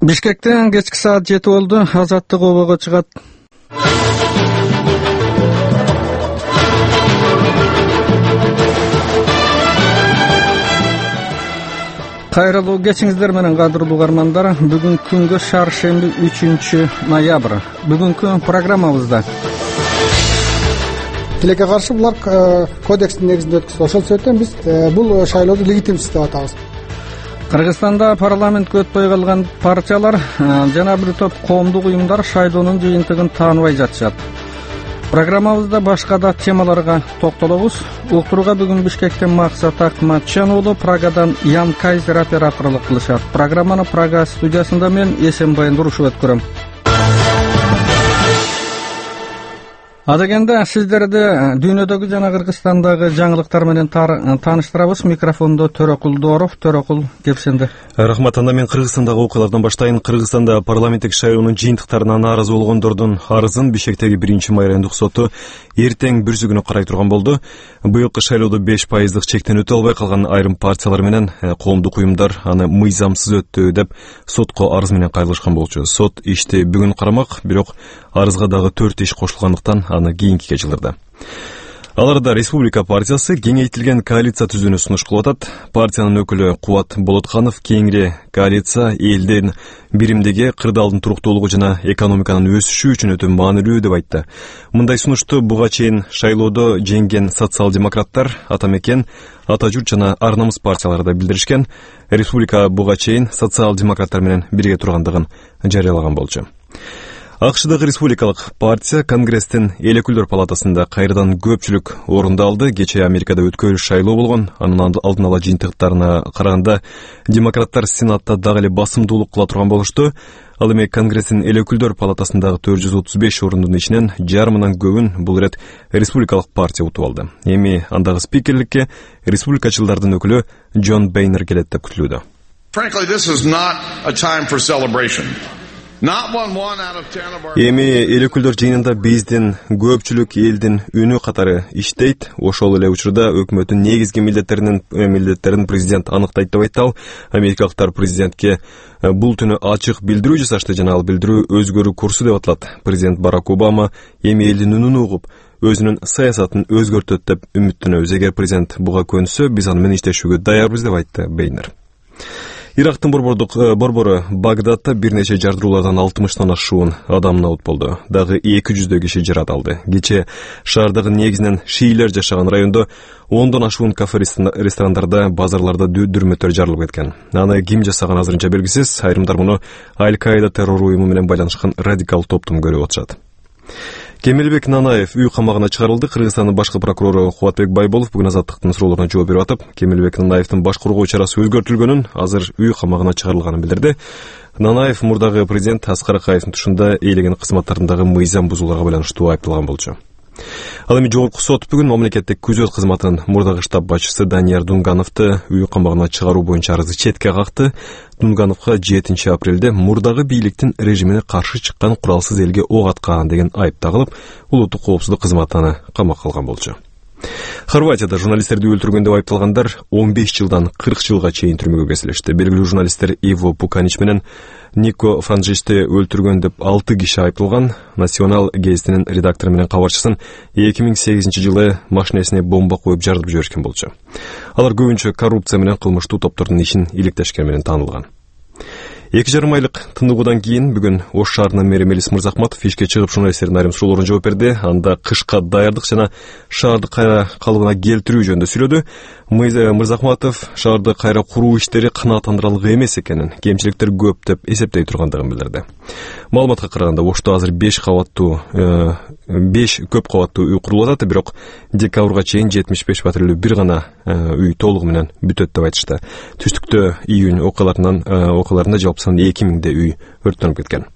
Бишкектен кечки саат 7 болду. Азаттык обого чыгат. Кайрылуу кечиңиздер менен кадырлуу угармандар. Бүгүнкү күнгө шаршемби 3-ноябрь. Бүгүнкү программабызда тилекке каршы булар кодекстин негизинде өткөзүп, ошол себептен биз бул шайлоодо легитимсиз деп атабыз. Кыргызстанда парламентке өтпөй калган партиялар жана бир топ коомдук уюмдар шайлоонун жыйынтыгын тааныбай жатышат. Программабызда башка да темаларга токтолобуз. Уктурууга бүгүн Бишкектен Максат Акматжан уулу, Прагадан Ян Кайзер операторлук кылышат. Программаны Прага студиясында мен Эсенбай Нурушев өткөрөм. Адегенде сиздерди дүйнөдөгү жана Кыргызстандагы жаңылыктар менен тааныштырабыз. Микрофондо Төрөкул Дооров. Төрөкул, кепсенде. Рахмат. Анда мен Кыргызстандагы окуялардан баштайын. Кыргызстанда парламенттик шайлоонун жыйынтыктарына нааразы болгондордун арызын Бишкектеги 1-май райондук соту эртең бүрсүгүнө карай турган болду. Быйылкы шайлоодо 5% чектен өтө албай калган айрым партиялар менен коомдук уюмдар аны мыйзамсыз өттү деп сотко арыз менен кайрылышкан болчу. Сот ишти бүгүн карамак, бирок арызга дагы 4 иш кошулгандыктан аны кийинкиге жылдырды. Аларда Республика партиясы кеңейтилген коалиция түзүүнү сунуш кылып атат. Партиянын өкүлү Кубат Болотканов кеңири коалиция элдин биримдиги, кырдаалдын туруктуулугу жана экономиканын өсүшү үчүн өтө маанилүү деп айтты. Мындай сунушту буга чейин шайлоодо жеңген социал-демократтар, Ата мекен, Ата журт жана Ар намыс партиялары да билдиришкен. Республика буга чейин социал-демократтар менен бирге тургандыгын жарыялаган болчу. АКШдагы республикалык партия Конгресстин эл өкүлдөр палатасында кайрадан көпчүлүк орунду алды. Кечээ Америкада өткөрүш шайлоо болгон. Анын алдын ала жыйынтыктарына караганда демократтар Сенатта дагы эле басымдуулук кыла турган болушту. Ал эми Конгресстин эл өкүлдөр палатасындагы 435 орындын ичинен жарымынан көбүн бул ирет республикалык партия утуп алды. Эми андагы спикерликке республикачылдардын өкүлү Джон Бейнер келет деп күтүлүүдө. Frankly, this is not a time for celebration. Эми эл өкүлдөр жыйынында биздин көпчүлүк элдин үнү катары иштейт. Ошол эле учурда өкмөттүн негизги милдеттерин президент аныктайт деп айтты ал. Америкалыктар президентке бул түнү ачык билдирүү жасашты жана ал билдирүү өзгөрүү курсу деп аталат. Президент Барак Обама эми элдин үнүн угуп, өзүнүн саясатын өзгөртөт деп үмүттөнөбүз. Эгер президент буга көнсө, биз аны менен иштешүүгө даярбыз деп айтты Бейнер. Ирактын борбору Багдадта бир нече жардыруулардан 60-тан ашуун адам набут болду. Дагы 200 киши жарат алды. Кечээ шаардагы негизинен шиилер жашаган райондо 10дон ашуун кафе, ресторандарда, базарларда дүрмөтөр жарылып кеткен. Аны ким жасаган азырынча белгисиз. Айрымдар муну Аль-Каида террор уюму менен байланышкан радикал топтун көрүп атышат. Кемелбек Нанаев үй камагына чыгарылды. Кыргызстандын башкы прокурору Кубатбек Байболов бүгүн Азаттыктын суроолоруна жооп берип атып, Кемелбек Нанаевдин баш коргоо чарасы өзгөртүлгөнүн, азыр үй камагына чыгарылганын билдирди. Нанаев мурдагы президент Аскар Акаевдин тушунда ээлеген кызматтарындагы мыйзам бузууларга байланыштуу айыпталган болчу. Ал эми жогорку сот бүгүн мамлекеттик күзөт кызматынын мурдагы штаб башчысы Данияр Дунгановду үй камагына чыгаруу боюнча арызы четке какты. Дунгановго 7 апрелде мурдагы бийликтин режимине каршы чыккан куралсыз элге ок аткан деген айып тагылып, улуттук коопсуздук кызматына камакка алган болчу. Хорватияда журналисттерди өлтүргөн деп айыпталгандар 15 жылдан 40 жылга чейин түрмөгө кесилишти. Белгилүү журналисттер Иво Пуканич менен Нико Франжишти өлтүргөн деп 6 киши айыпталган. Национал гезитинин редактору менен кабарчысын 2008 жылы машинесине бомба коюп жарып жиберишкен болчу. Алар көбүнчө коррупция менен кылмыштуу топтордун ишин иликтешкен менен таанылган. 2,5 айлык тыныгуудан кийин бүгүн Ош шаарынын мэри Мелис Мырзахматов ишке чыгып журналисттердин айрым суроолоруна жооп берди. Анда кышка даярдык жана шаарды кайра калыбына келтирүү жөнүндө сүйлөдү. Мырзахматов шаарды кайра куруу иштери канааттандырарлык эмес экенин, кемчиликтер көп деп эсептей тургандыгын билдирди. Маалыматка караганда Ошто азыр 5 көп кабаттуу үй курулуп атат, бирок декабрга чейин 75 патрулдүү бир гана үй толугу менен бүтөт деп айтышты. Түштүктө июнь окуяларында жалпы 2000 үй өрттөнүп кеткен.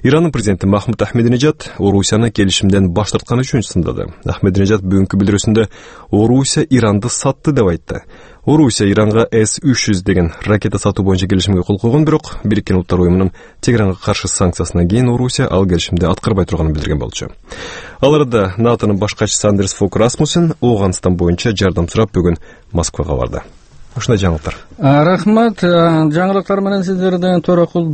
Ирандын президенти Махмуд Ахмединежад Орусияны келишимден баш тартканы үчүн сындады. Ахмединежад бүгүнкү билдирүүсүндө Орусия Иранды сатты деп айтты. Орусия Иранга С-300 деген ракета сатуу боюнча келишимге кол койгон, бирок Бириккен Улуттар уюмунун Тегеранга каршы санкциясынан кийин Орусия ал келишимди аткарбай турганын билдирген болчу. Ал арада НАТОнун баш катчысы Андерс Фок Расмуссен Ооганстан боюнча жардам сурап бүгүн Москвага барды. Ушундай жаңылыктар. Рахмат. Жаңылыктар менен сиздерден Төрөкул